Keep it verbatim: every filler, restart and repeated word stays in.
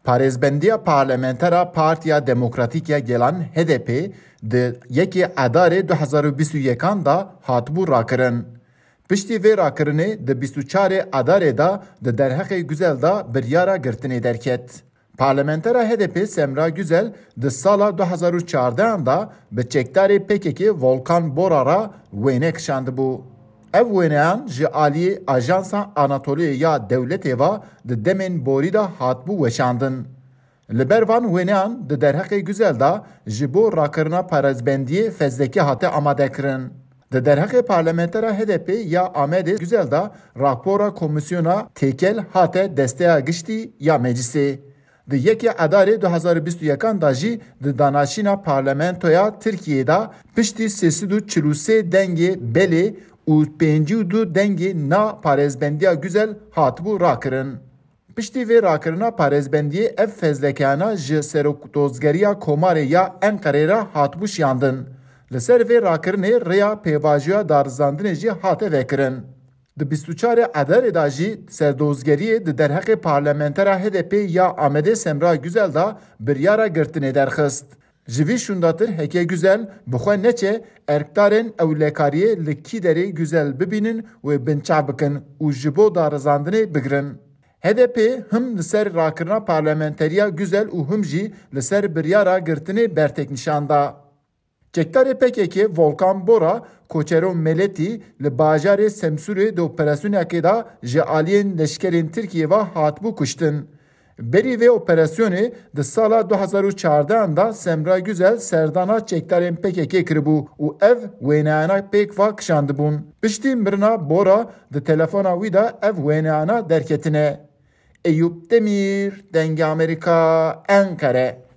Parêzbendiya parlamentera Partiya Demokratîk ya Gelan H D P di yekê Edarê du hezar û bîst û yekan de hatibû rakirin. Piştî vê rakirinê di bîst û çarê Edarê de di derheqê Güzel de biryara girtinê derket. Parlamentera H D P Semra Güzel di sala du hezar û çardehan de bi çekdarê P K K Volkan Bora re wêne kişandibû. Ev wêneyan ji aliyê Ajansa Anatoliya ya dewletê ve di demên borî de hatibû weşandin. Li ber van wêneyan di derheqê Güzel de ji bo rakirina parêzbendiyê fezlekî hate amadekirin. Di derheqê parlamentera H D P ya Amedê Güzel de rapora Komîsyona Têkel hate Desteya Giştî ya Meclisê. Di yekê Edarê du hezar û bîst û yekan de jî di danaşîna parlamentoya Tirkiyeyê de piştî sê sed û çil û sê dengê belê û pêncî û du dengê na parêzbendiya Güzel hatibû rakirin. Piştî vê rakirina parêzbendiyê ev fezlekeyana ji Serokdozgeriya Komarê ya Enqerê re hatibû şiyandin. Li ser vê rakirinê rêya pêvajoya darizandinê jî hate vekirin. Di bîst û çarê Edarê de jî serdozgeriyê di derheqê parlamentera H D P ya Amedê Semra Güzel de biryara girtinê derxist. Ji vî şûndatir heke Güzel bi xwe neçe erkdarên ewlekariyê li kî derê Güzel bibînin wê binçav bikin û ji bo darizandinê bigirin. H D P him li ser rakirina parlamenteriya Güzel û him jî li ser biryara girtinê bertek nîşan da. Çekdarê P K K Volkan Bora, Koçero Meletî, li bajarê Semsûrê di operasyonekê de ji aliyên leşkerên Tirkiyê ve hatibû kuştin. Berî vê operasyonê di sala du hezar û çardehan de Semra Güzel serdana çekdarên P K K kiribû û ev wêneyana pêk ve kişandibûn. Piştî mirina Bora di telefona wî de ev wêneyana derketine. Eyûp Demîr, Dengê Amerîka, Enqere.